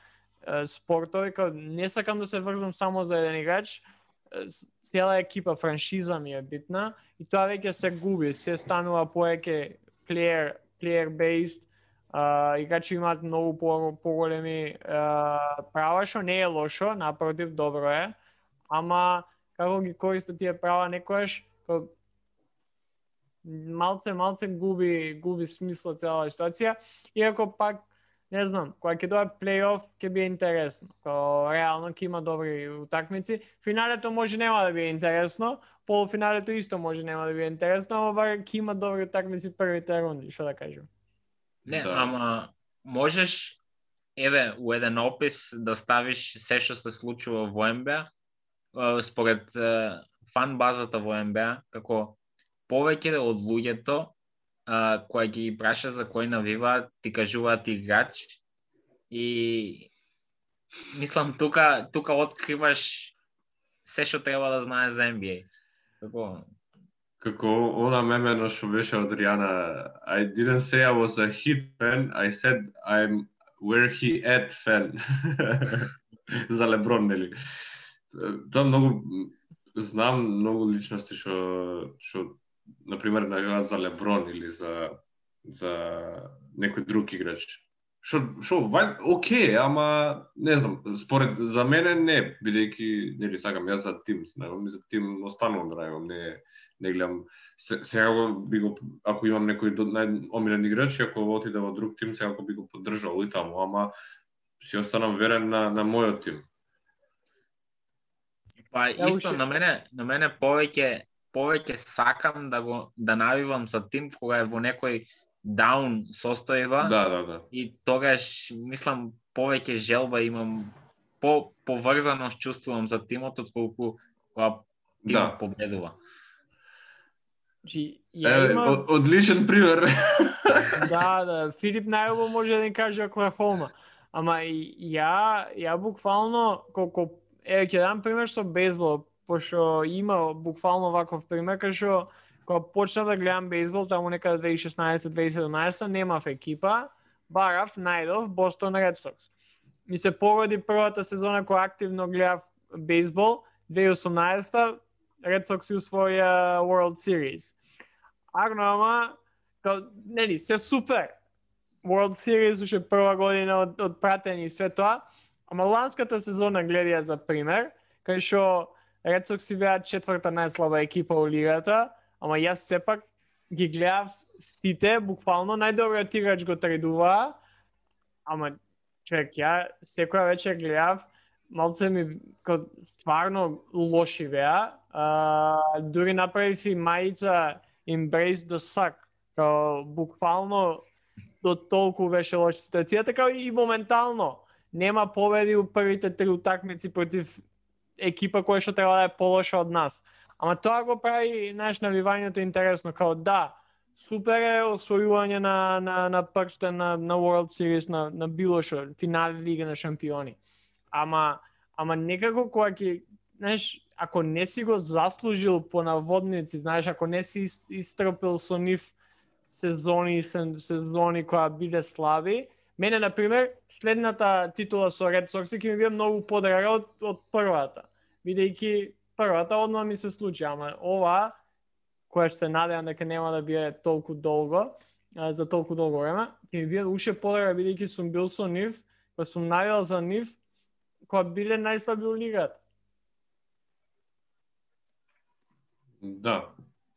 спортови, као не сакам да се врзам само за еден играч, цела екипа, франшиза ми е битна и тоа веќе се губи, се станува повеќе player, player based, uh, играчи имаат многу по, поголеми uh, права, што не е лошо, напротив, добро е, ама како ги користат тие права некојаш, као малце, малце губи, губи смисла цела ситуација, иако пак не знам, кога ќе дојде плей-оф ќе биде интересно. Кога реално ќе има добри утакмици. Финалето може нема да биде интересно, полуфиналето исто може нема да биде интересно, ама бар ќе има добри утакмици првите рунди, што да кажем. Не, Да. ама можеш еве у еден опис да ставиш се што се случува во Н Б А според фан базата во Н Б А, како повеќе од луѓето Uh, која ги праша за кој навиваат, ти кажуваат играч и мислам тука тука откриваш се што треба да знаеш за Н Б А. Како Како она мемено што беше од Ријана, I didn't say I was a Heat fan, I said I'm where he at fan. За Леброн, нели? Тоа многу знам многу личности што што на пример навиваат за Леброн или за за некој друг играч. Што што вај окей, ама не знам, според за мене не, бидејќи нели сакам јас за тим, знаам, за тим останувам да најавам, не не гледам сега би го ако имам некој најомилен играч, ако отиде во друг тим, сега би го поддржал и таму, ама си останам верен на на мојот тим. па Ја исто уште- на мене на мене повеќе повеќе сакам да го да навивам за тим кога е во некој даун состојба. Да, да, да. И тогаш, мислам, повеќе желба имам, по поврзаност чувствувам за тимот, отколку кога тимот Да. победува. Значи, ја Еве, имав... од, одличен пример. Да, да, Филип најубаво може да ни каже Оклахома. Ама и ја, ја буквално, колко, еве ќе дам пример со бейсбол, пошто има буквално ваков пример, кај што кога почна да гледам бейсбол, таму некаде две илјади и шеснаесета две илјади и седумнаесета, немав екипа, барав, најдов Бостон Ред Сокс. Ми се погоди првата сезона кога активно гледав бейсбол, две илјади и осумнаесета Ред Сокс усвоја World Series. Агно, ама, као, нели, се супер. World Series уште прва година од, од пратење и све тоа, ама ланската сезона гледија за пример, кај што Ред Сокс си беа четврта најслаба екипа во лигата, ама јас сепак ги гледав сите, буквално најдобриот играч го тредуваа, ама човек, ја секоја вечер гледав, малце ми као, стварно лоши беа, а, дури направив и мајица Embrace the Suck, као буквално до толку беше лоша ситуацијата, као и моментално нема победи у првите три утакмици против екипа која што треба да е полоша од нас. Ама тоа го прави наш навивањето интересно, као да, супер е освојување на на на прстен на на World Series, на на било што, финале Лига на шампиони. Ама ама некако кога ќе, знаеш, ако не си го заслужил по наводници, знаеш, ако не си истрпел со нив сезони сезони која биде слаби, мене на пример следната титула со Ред Сокс ќе ми биде многу подрага од од првата, бидејќи првата одма ми се случи, ама ова која што се надевам дека нема да биде толку долго, а, за толку долго време, ќе ми биде уште подрага бидејќи сум бил со нив, па сум навијал за нив кога биле најслаби во лигата. Да,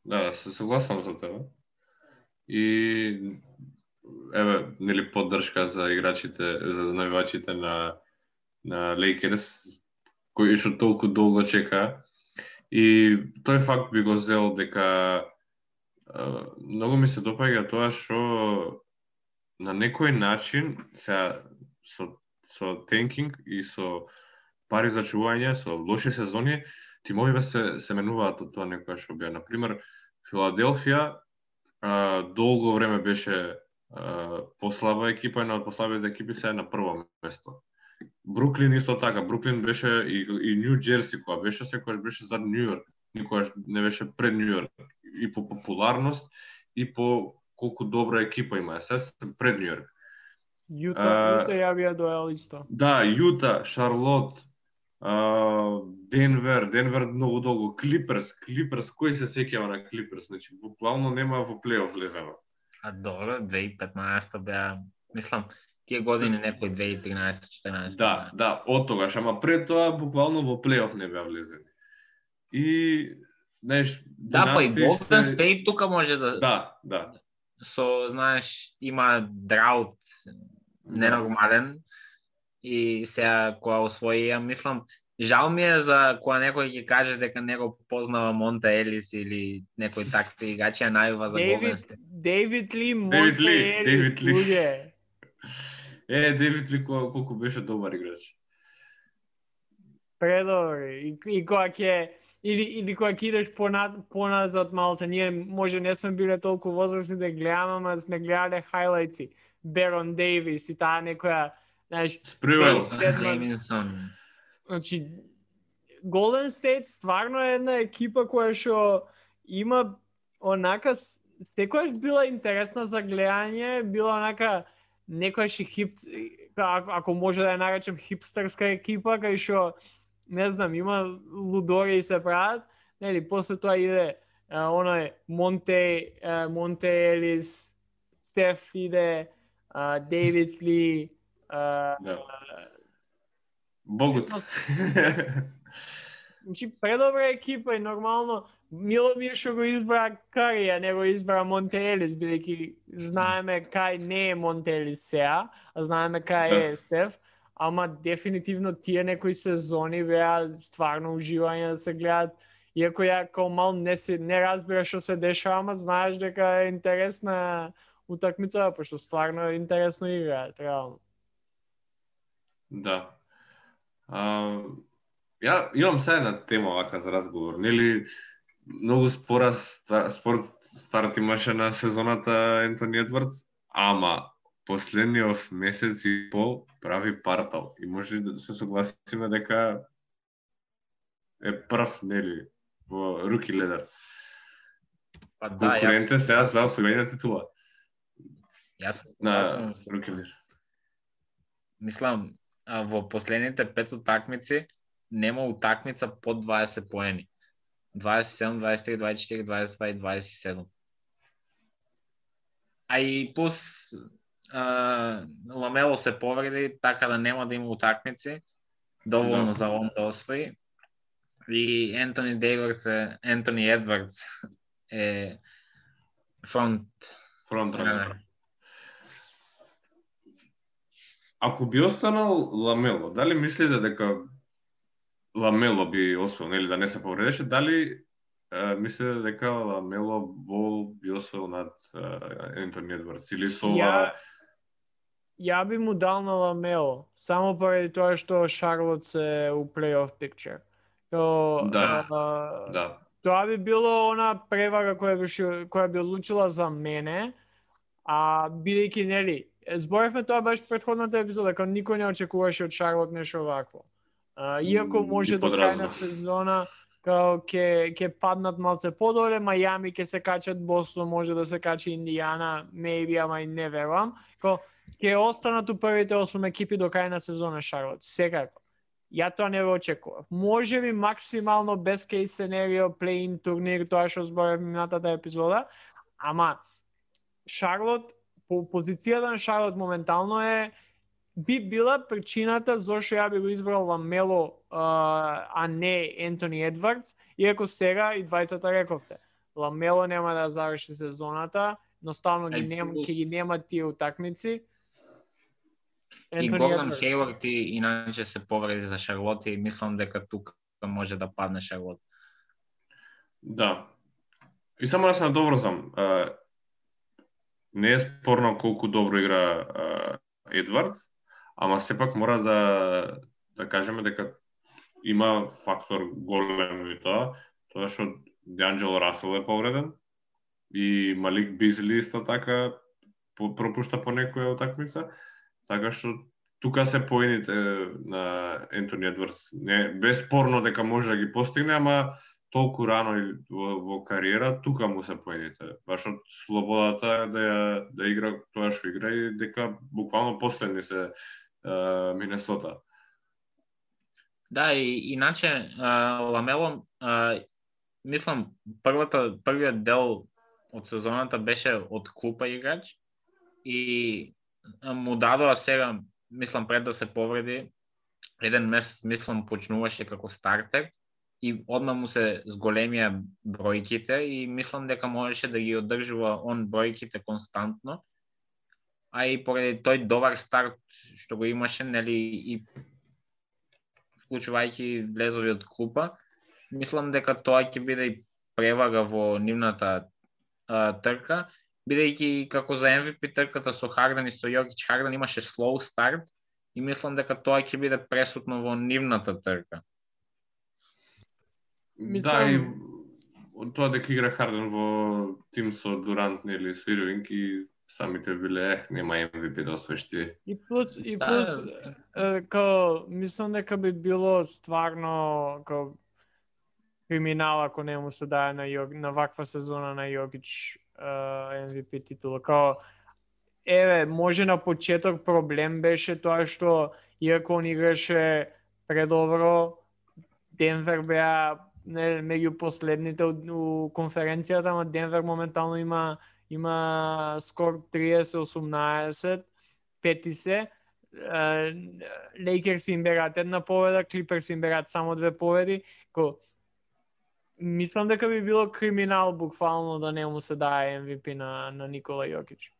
да, се согласам за тебе. И еве, нели поддршка за играчите, за навивачите на на Лейкерс, кои што толку долго чека. И тој факт би го зел дека а, многу ми се допаѓа тоа што на некој начин сега со со тенкинг и со пари за чување, со лоши сезони, тимовиве се се менуваат од тоа некоја што беа. На пример, Филаделфија а, долго време беше а, послаба екипа, една од послабите екипи се е на прво место. Бруклин исто така, Бруклин беше и, и Нью Џерси која беше секогаш беше за Нью Йорк, никогаш не беше пред Нью Йорк и по популарност и по колку добра екипа има, се пред Нью Йорк. Јута, А, Јута ја бија доел исто. Да, Јута, Шарлот, а, Денвер, Денвер многу долго, Клиперс, Клиперс, кој се сеќава на Клиперс, значи буквално нема во плейоф влезено. А добро, две илјади и петнаесета беа, мислам, тие години некој две илјади и тринаесета четинаесета. Да, да, од тогаш, ама пред тоа буквално во плейоф не беа влезени. И знаеш, Да, па и династии Голден се- Стейт тука може да, Да, да. со, знаеш, има драут. ненормален и сега кога освои, ја мислам, жал ми е за кога некој ќе каже дека него познава Монте Елис или некој такви играчи, ја најува за Голден Стейт. Дейвид Ли, Монте Елис, луѓе. Е, Дейвид Ли колку беше добар играч. Предобар. И, и кога ќе или или кога ќе идеш понад поназад малце, ние може не сме биле толку возрастни да гледаме, ама сме гледале хайлајци. Берон Дейвис и таа некоја, знаеш, Спривел. Джейминсон. Значи, Golden State стварно е една екипа која што има онака секојаш била интересна за гледање, била онака некојаш хип, ако, ако може да ја наречем хипстерска екипа, кај што не знам, има лудори и се прават, нели, после тоа иде а, оној Монте, а, Монте Елис, Стеф иде, а, Дейвид Ли, а, Да. Богот. Значи, предобра екипа и нормално Миломир што го избра Кари, а не го избра Монте Елис, бидејќи знаеме кај не е Монте Елис сега, а знаеме кај Да. е Стеф, ама дефинитивно тие некои сезони беа стварно уживање да се гледат, иако ја као мал не, се, не разбира што се дешава, ама знаеш дека е интересна утакмица, пошто стварно е интересно игра, реално. Да. А, ја имам сега една тема вака за разговор. Нели многу спора ста, спорт старт имаше на сезоната Ентони Едвардс, ама последниот месец и пол прави партал и може да се согласиме дека е прв, нели, во руки ледер. Па да, Конкурентен јас, сега за освојување на титула јас, на јас сум руки ледер. мислам, а, во последните пет утакмици нема утакмица под дваесет поени. дваесет и седум, дваесет и три, дваесет и четири, дваесет и два и дваесет и седум. А и плюс а, Ламело се повреди, така да нема да има утакмици. Доволно Да. за он да освои. И Ентони Дейвидс е, Ентони Едвардс е фронт Фронт ранер. ранер. Ако би останал Ламело, дали мислите дека Ламело би освоил, нели да не се повредеше, дали е, мислите дека Ламело Бол би освоил над е, Ентони Едвардс или со Ја, ова ја би му дал на Ламело, само поради тоа што Шарлот се у плей-оф пикчер. То, Да. а, да. Тоа би било она превага која би, шо- која би одлучила за мене, а бидејќи нели, зборевме тоа беше претходната епизода, кога никој не очекуваше од Шарлот нешто вакво. А, иако М, може би до крај на подразнав. сезона као ќе ќе паднат малце подоле, Мајами ќе се качат, Бостон може да се качи, Индијана, maybe, ама и не верувам. Као ќе останат у првите осум екипи до крај на сезона Шарлот, секако. Ја тоа не го очекував. Може би максимално best case scenario play-in турнир, тоа што зборев минатата епизода, ама Шарлот, по позицијата на Шарлот моментално е би била причината зошто ја би го избрал Ламело, а, а не Ентони Едвардс, иако сега и двајцата рековте. Ламело нема да заврши сезоната, едноставно ги Ај, нема, плюс- ќе ги нема тие утакмици. И Ентони Гордон Едвардс. Хејвард и иначе се повреди за Шарлот и мислам дека тука може да падне Шарлот. Да. И само да се надоврзам, а, не е спорно колку добро игра а, Едвардс, ама сепак мора да да кажеме дека има фактор голем и тоа, тоа што Деанджело Расел е повреден и Малик Бизли исто така по, пропушта по некоја утакмица, така што тука се поените на Ентони Едвардс. Не безспорно дека може да ги постигне, ама толку рано и во, во кариера, тука му се поените. Баш од слободата да ја, да игра тоа што игра и дека буквално последни се uh, Минесота. Да, и иначе а, Ламело, а, мислам, првата, првиот дел од сезоната беше од клупа играч и а, му дадоа сега, мислам, пред да се повреди, еден месец, мислам, почнуваше како стартер и одма му се зголемија бројките и мислам дека можеше да ги одржува он бројките константно. а и поради тој добар старт што го имаше, нели, и вклучувајќи влезови од клупа, мислам дека тоа ќе биде и превага во нивната а, трка, бидејќи како за Ем Ви Пи трката со Харден и со Јокич, Харден имаше слоу старт и мислам дека тоа ќе биде пресутно во нивната трка. Мислам... Да, и тоа дека игра Харден во тим со Дурант или со Ирвинг и самите биле, ех, нема Ем Ви Пи да освоиш ти. И плюс, и плюс, да. Као, мислам дека би било стварно, као, криминал ако не му се даде на, Јок, на ваква сезона на Јокич Ем Ви Пи титула. Као, еве, може на почеток проблем беше тоа што, иако он играше предобро, Денвер беа не, меѓу последните у, у конференцијата, ама Денвер моментално има има скор триесет осумнаесет, пети се. Лейкерс им берат една победа, Клиперс им берат само две победи. Ко, мислам дека би било криминал буквално да не му се дае Ем Ви Пи на, на Никола Јокич.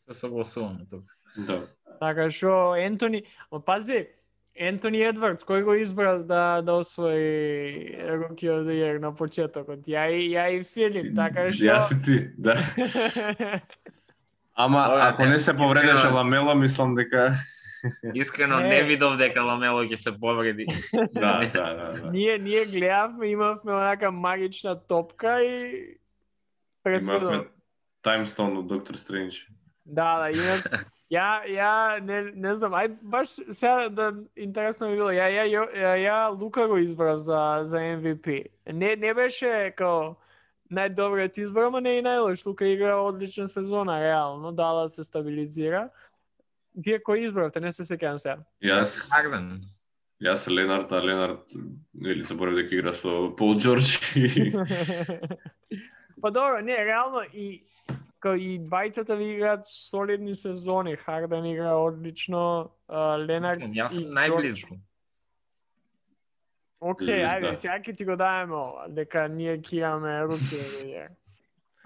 Се согласуваме тук. Да. Така што Ентони, ма пази, Ентони Едвардс, кој го избра да да освои Rookie of the Year на почетокот? Ја и ја и Филип, така што Јас и ти, да. Ама Ова, ако не се повредеше Ламело, мислам дека Искрено Не. не видов дека Ламело ќе се повреди. да, да, да, да. ние ние гледавме, имавме онака магична топка и Имавме Таймстон од Доктор Стрендж. Да, да, имам. Ја, ја, не, не знам, ај баш сега да интересно ми било. Ја, ја, ја, ја Лука го избрав за за Ем Ви Пи. Не не беше као најдобриот избор, ама не и најлош. Лука игра одлична сезона, реално, дала се стабилизира. Вие кој избравте? Не се сеќавам сега. Јас, Харден. јас Ленард, а Ленард или заборав дека игра со Пол Џорџ и Па добро, не, реално и као и двајцата ви играат солидни сезони. Харден игра одлично, а, Ленард Јас и сум најблизко. Океј, Да. ајде, сега ќе ти го даваме ова, дека ние ќе имаме руки.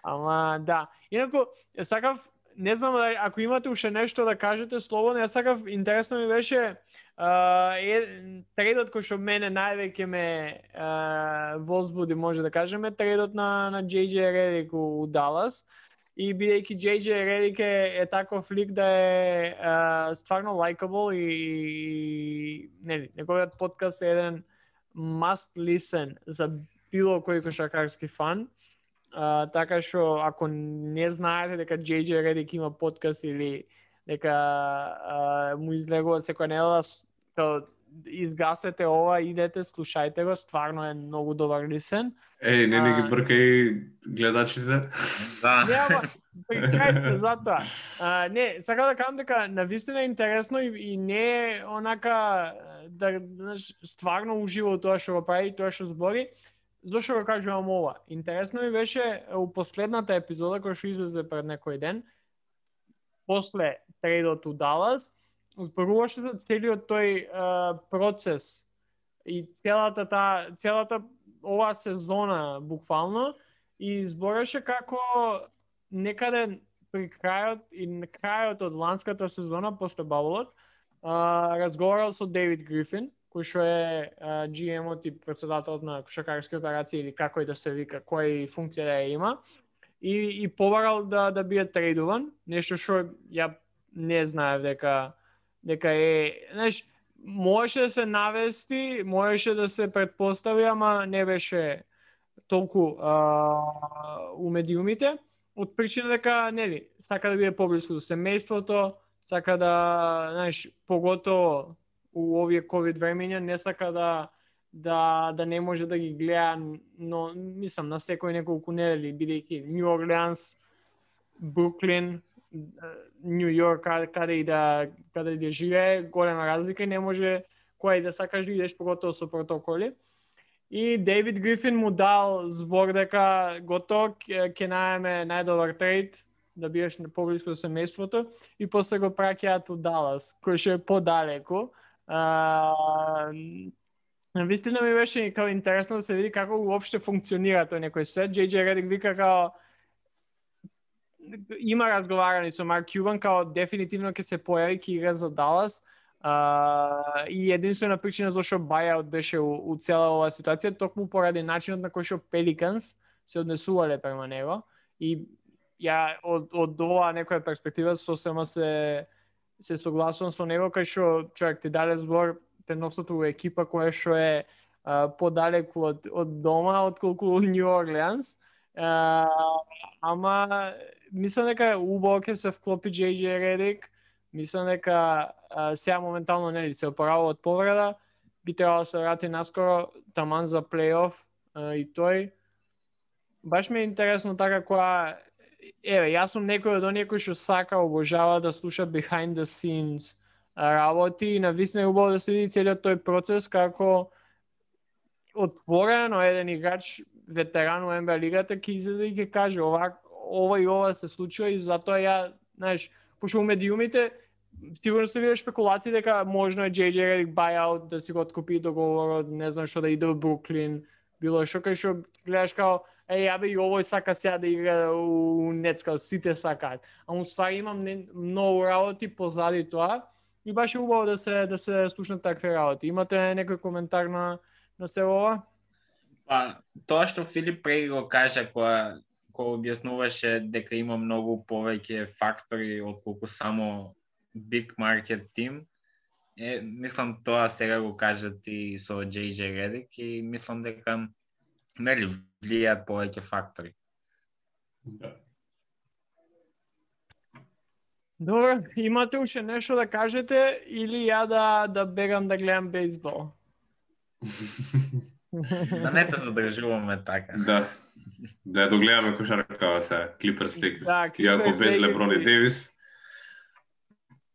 Ама да, инаку сакав, не знам дали ако имате уште нешто да кажете слободно, ја сакав, интересно ми беше а, е, трейдот кој што мене највеќе ме а, возбуди, може да кажеме, трейдот на на Џеј Џеј Редик у, у Далас. И бидејќи Џеј Џеј Редик е, е таков лик да е а, стварно лајкабл и, и нели, неговиот подкаст е еден must listen за било кој кошаркарски фан. Uh, така што ако не знаете дека Џеј Џеј Редик има подкаст или дека uh, му излегуваат секоја недела, изгасете ова, идете, слушајте го, стварно е многу добар лисен. Еј, не не ги бркај гледачите. Да. Не, ама, прекрајте затоа. А, не, сака да кажам дека навистина е интересно и, и не е онака да, знаеш, стварно ужива тоа што го прави, тоа што збори. Зошто го кажувам ова? Интересно ми беше у последната епизода која што излезе пред некој ден, после трейдот у Далас, зборуваше за целиот тој а, процес и целата таа целата оваа сезона буквално и збореше како некаде при крајот и на крајот од ланската сезона после баблот разговарал со Дейвид Грифин, кој што е Джи Ем-от и претседателот на кошаркарски операции или како и да се вика, која функција да ја има, и, и побарал да, да биде трейдуван, нешто што ја не знаев дека дека е, знаеш, можеше да се навести, можеше да се претпостави, ама не беше толку а, у медиумите, од причина дека, нели, сака да биде поблиску до семејството, сака да, знаеш, поготово у овие ковид времења не сака да да да не може да ги гледа, но мислам на секој неколку недели, бидејќи Нью Орлеанс, Бруклин, Нью Йорк, каде, каде и да каде и да живее, голема разлика и не може кој да сакаш да идеш поготово со протоколи. И Дейвид Грифин му дал збор дека готово ќе најме најдобар трейд, да биеш поблиску до семејството, и после го праќаат у Далас, кој што е подалеку. Вистина ми беше као интересно да се види како уопште функционира тој некој свет. Џеј Џеј Редик вика као има разговарани со Марк Кјубан као дефинитивно ќе се појави ќе игра за Далас. Uh, и единствена причина зашто buyout беше у, у цела оваа ситуација токму поради начинот на кој што Pelicans се однесувале према него и ја од од оваа некоја перспектива сосема се се согласувам со него кај што човек ти даде збор преносото во екипа која што е uh, подалеку од од дома отколку Нью Орлеанс. Uh, ама мислам дека убаво ќе се вклопи Джей Джей Редик. Мислам дека uh, сега моментално нели се опорава од повреда, би требало да се врати наскоро таман за плейоф uh, и тој. Баш ми е интересно така која еве, јас сум некој од оние кои што сака, обожава да слуша behind the scenes работи и навистина е убаво да следи целиот тој процес како отворено еден играч ветеран во Н Б А лигата ќе излезе и ќе каже ова ова и ова се случува и затоа ја, знаеш, пошто у медиумите сигурно се видиш спекулации дека можно е Джей Джей Редик buyout да си го откупи договорот, не знам што да иде во Бруклин, било што кај што гледаш као е, абе и овој сака сега да игра у Нетс, као сите сакаат. А уствари имам не, многу работи позади тоа и баш е убаво да се да се слушнат такви работи. Имате некој коментар на на се ова? Па, тоа што Филип преди го кажа кога кога објаснуваше дека има многу повеќе фактори отколку само big market team, е, мислам тоа сега го кажа ти со Джей Джей Редик и мислам дека нели влијаат повеќе фактори. Да. Добро, имате уште нешто да кажете или ја да да бегам да гледам бейсбол? Да не те задржуваме така. Да. Да ја догледаме кошаркава сега, Clippers Lakers. Да, Иако Clippers, без Леброн и Lakers. Девис.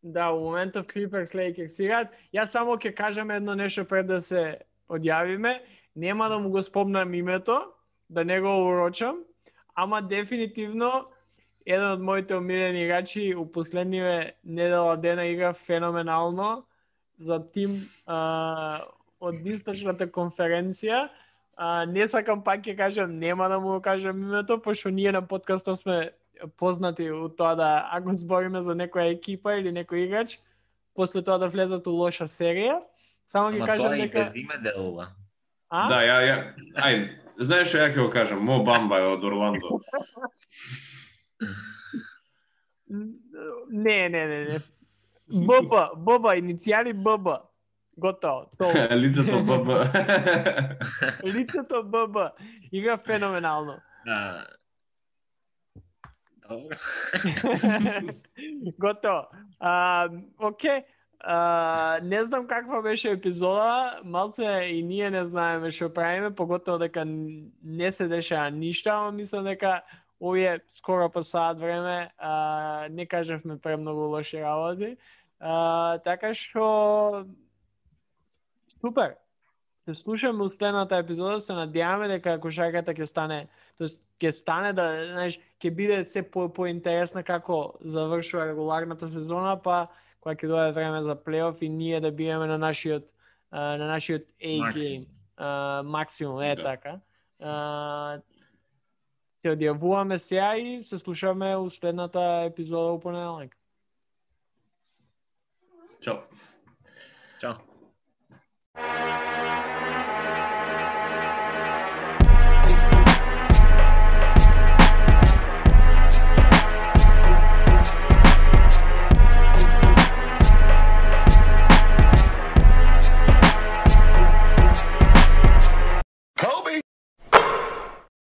Да, во моментов Clippers Lakers играат. Јас само ќе кажам едно нешто пред да се одјавиме. Нема да му го спомнам името, да не го урочам, ама дефинитивно еден од моите омилени играчи у последниве недела дена игра феноменално за тим а, од источната конференција. А, не сакам пак ќе кажам, нема да му го кажам името, пошто ние на подкастот сме познати у тоа да ако збориме за некоја екипа или некој играч, после тоа да влезат у лоша серија. Само ќе Ама кажам тоа и дека без име делува. А? Да, ја, ја, ај, знаеш што ја ќе го кажам, Мо Бамба е од Орландо. Не, не, не, не. ББ, ББ, иницијали ББ. Готово, тоа. Лицето ББ. Лицето ББ. Игра феноменално. А, добро. Готово. А, окей. А, не знам каква беше епизода, малце и ние не знаеме што правиме, поготово дека не се дешава ништо, ама мислам дека овие скоро по саат време а, не кажавме премногу лоши работи. А, така што супер. Се слушаме у следната епизода, се надеваме дека кошарката ќе стане, тоест ќе стане да, знаеш, ќе биде се по поинтересна како завршува регуларната сезона, па кога ќе дојде време за плейоф и ние да биеме на нашиот а, на нашиот A game, максимум, е Да. така. А, се одјавуваме сега и се слушаме у следната епизода у понеделник. Чао. Чао.